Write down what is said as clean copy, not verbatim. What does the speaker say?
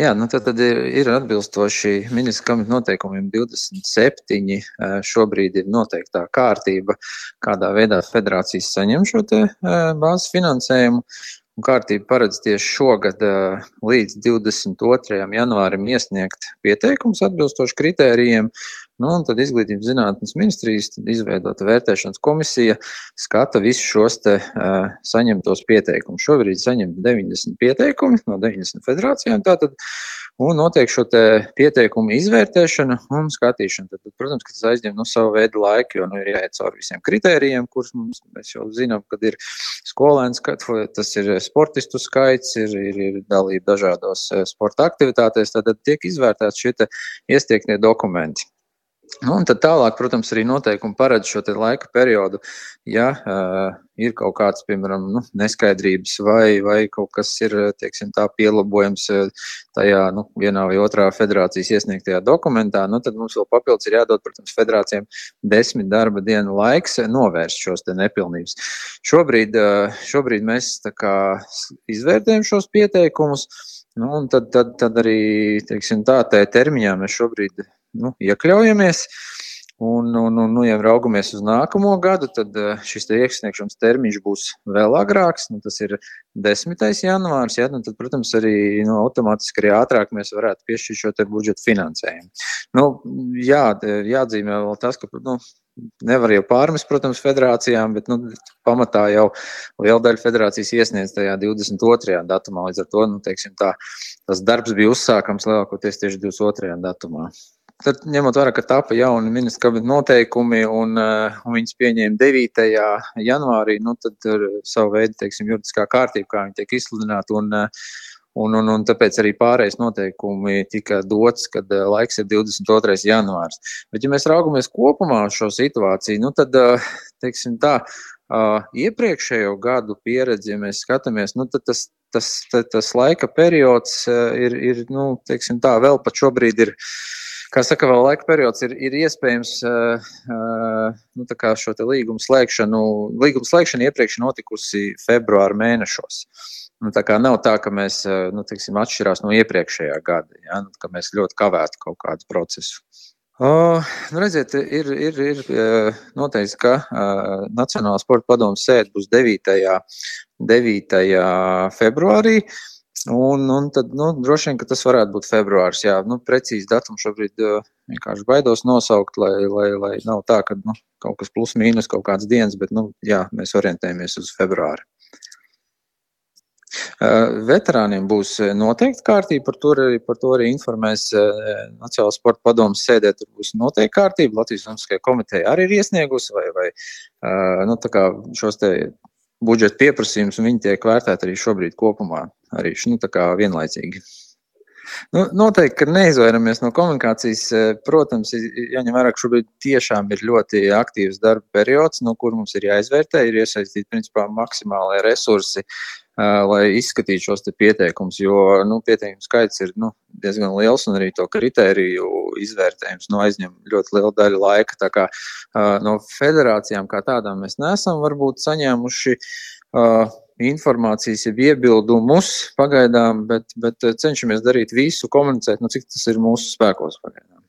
Jā, tad ir atbilstoši ministra kabineta noteikumiem 27. Šobrīd ir noteiktā kārtība, kādā veidā federācijas saņem šo te bāzes finansējumu. Un kārtība paredz tieši šogad līdz 22. janvārim iesniegt pieteikums atbilstoši kritērijiem. Un tad Izglītības zinātnes ministrijas izveidota vērtēšanas komisija skata visus šos te saņemtos pieteikumus. Šobrīd saņem 90 pieteikumi no 90 federācijām tātad, un notiek šo te pieteikumu izvērtēšana un skatīšana. Tad, protams, ka tas aizņem savu veidu laiku, jo ir jāiet cauri visiem kritērijiem, kurus mēs jau zinām, kad ir skolēnu skaits, tas ir sportistu skaits, ir dalība dažādos sporta aktivitātēs, tad tiek izvērtēts šie te iesniegtie dokumenti. Un tad tālāk, protams, arī noteikumi paredz šo te laika periodu, ja ir kaut kāds, piemēram, neskaidrības vai kaut kas ir, teiksim, tā pielabojums tajā, vienā vai otrā federācijas iesniegtajā dokumentā, tad mums vēl papildus ir jādod, protams, federācijām 10 darba dienu laiks novērst šos te nepilnības. Šobrīd mēs tā kā izvērtējam šos pieteikumus, un tad arī, teiksim, tā termiņā mēs šobrīd iekļaujamies un ja raugamies uz nākamo gadu, tad šis te iesniegšanas termiņš būs vēl agrāks, tas ir 10. janvārs, ja, tad, protams, arī automātiski arī ātrāk mēs varētu piešķirt šo te budžeta finansējumu. Jāatzīmē vēl tas, ka, nevar jau pārmest, protams, federācijām, bet, pamatā jau liela daļa federācijas iesniedz tajā 22. datumā, līdz ar to, teiksim tā, tas darbs bija uzsākams lielākoties tieši 22. datumā. Tad, ņemot vērā, ka tapa jauni ministra kabineta noteikumi un viņas pieņēma 9. janvārī, tad savu veidu, teiksim, juridiskā kārtība, kā viņi tiek izsludināti, un tāpēc arī pārējais noteikumi tika dots, kad laiks ir 22. janvārs. Bet, ja mēs raugamies kopumā uz šo situāciju, tad, teiksim tā, iepriekšējo gadu pieredzi, ja mēs skatāmies, tad tas laika periods ir teiksim tā, vēl pat šobrīd ir, kā saka, vēl laika periods ir iespējams tā kā šo te līgumu slēgšanu iepriekš notikusi februāra mēnešos. Tā kā nav tā, ka mēs, teiksim, atšķirās no iepriekšējā gada, ja, ka mēs ļoti kavētu kaut kādu procesu. Redziet, ir noteikts, ka Nacionālā sporta padomes sēde būs 9. februārī, un tad, droši vien, ka tas varētu būt februārs, jā, precīzi datumu šobrīd vienkārši baidos nosaukt, lai nav tā, ka, kaut kas plus mīnus kaut kāds dienas, bet, jā, mēs orientējamies uz februāri. Veterāniem būs noteikti kārtība, par to arī informēs Nacionālā sporta padomes sēdē, tur būs noteikti kārtība, Latvijas Olimpiskajā komiteja arī ir iesniegusi, vai tā kā šos te budžeta pieprasījumus, un viņi tiek vērtēti arī šobrīd kopumā, arī tā kā vienlaicīgi. Noteikti, ka neizvairamies no komunikācijas, protams, jāņem vērā, ka šobrīd tiešām ir ļoti aktīvs darba periods, no kur mums ir jāizvērtē, ir iesaistīti, principā, maksimālie resursi, lai izskatītu šos te pieteikumus, jo, pieteikumu skaits ir, diezgan liels, un arī to kritēriju izvērtējums, aizņem ļoti lielu daļu laika, tā kā no federācijām kā tādām mēs neesam varbūt saņēmuši informācijas, iebildumus pagaidām, bet cenšamies darīt visu, komunicēt, cik tas ir mūsu spēkos pagaidām.